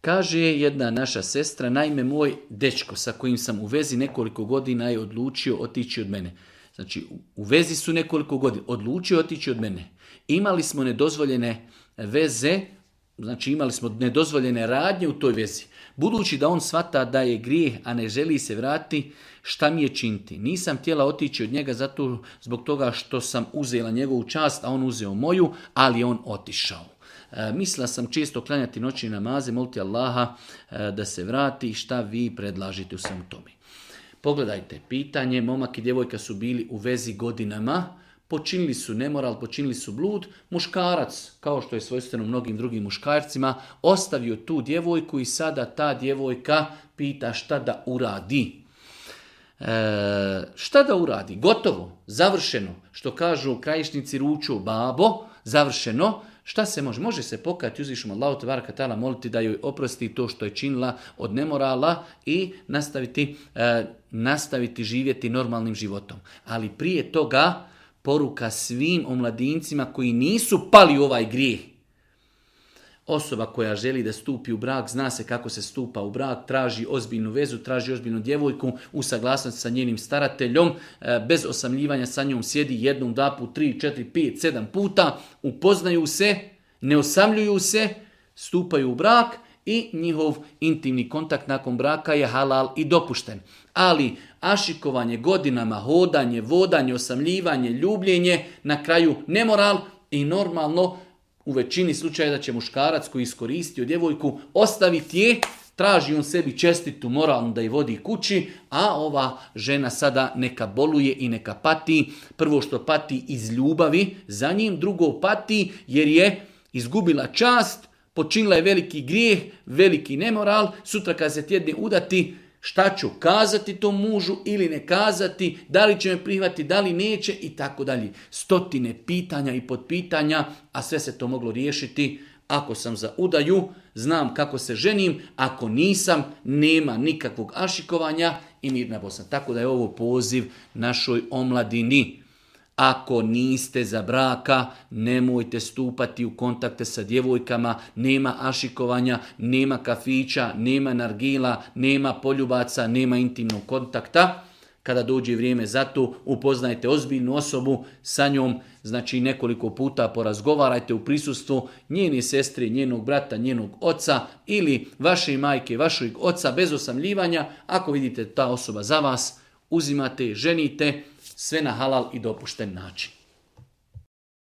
Kaže jedna naša sestra, naime moj dečko sa kojim sam u vezi nekoliko godina je odlučio otići od mene. Znači u vezi su nekoliko godina, odlučio otići od mene. Imali smo nedozvoljene veze, znači imali smo nedozvoljene radnje u toj vezi. Budući da on shvata da je grijeh, a ne želi se vratiti, šta mi je činiti? Nisam htjela otići od njega zato zbog toga što sam uzela njegovu čast, a on uzeo moju, ali on otišao. Mislila sam često klanjati noćne namaze, moliti Allaha da se vrati. Šta vi predlažite u svemu tome? Pogledajte, pitanje, momak i djevojka su bili u vezi godinama, počinili su nemoral, počinili su blud, muškarac, kao što je svojstveno mnogim drugim muškarcima, ostavio tu djevojku i sada ta djevojka pita šta da uradi. Šta da uradi? Gotovo, završeno. Što kažu krajišnici ruču babo, završeno. Šta se može? Može se pokajati uzvišom Allahu te baraka taala, moliti da joj oprosti to što je činila od nemorala i nastaviti živjeti normalnim životom. Ali prije toga poruka svim omladincima koji nisu pali u ovaj grijeh. Osoba koja želi da stupi u brak, zna se kako se stupa u brak, traži ozbiljnu vezu, traži ozbiljnu djevojku u saglasnosti sa njenim starateljom, bez osamljivanja sa njom sjedi jednom, dva put, 3, 4, 5, 7 puta, upoznaju se, ne osamljuju se, stupaju u brak i njihov intimni kontakt nakon braka je halal i dopušten. Ali ašikovanje godinama, hodanje, vodanje, osamljivanje, ljubljenje, na kraju nemoral i normalno u većini slučaja da će muškarac koji iskoristio djevojku ostaviti je, traži on sebi čestitu moralnu da je vodi kući, a ova žena sada neka boluje i neka pati. Prvo što pati iz ljubavi za njim, drugo pati jer je izgubila čast, počinila je veliki grijeh, veliki nemoral, sutra kad se tjedne udati, šta ću kazati tom mužu ili ne kazati, da li će me prihvatiti, da li neće i tako dalje. Stotine pitanja i podpitanja, a sve se to moglo riješiti. Ako sam za udaju, znam kako se ženim, ako nisam, nema nikakvog ašikovanja i mirna Bosna. Tako da je ovo poziv našoj omladini. Ako niste za braka, nemojte stupati u kontakte sa djevojkama, nema ašikovanja, nema kafića, nema nargila, nema poljubaca, nema intimnog kontakta. Kada dođe vrijeme za to, upoznajte ozbiljnu osobu, sa njom znači nekoliko puta porazgovarajte u prisustvu njene sestre, njenog brata, njenog oca ili vaše majke, vašeg oca bez osamljivanja. Ako vidite ta osoba za vas, uzimate, ženite, sve na halal i dopušten način.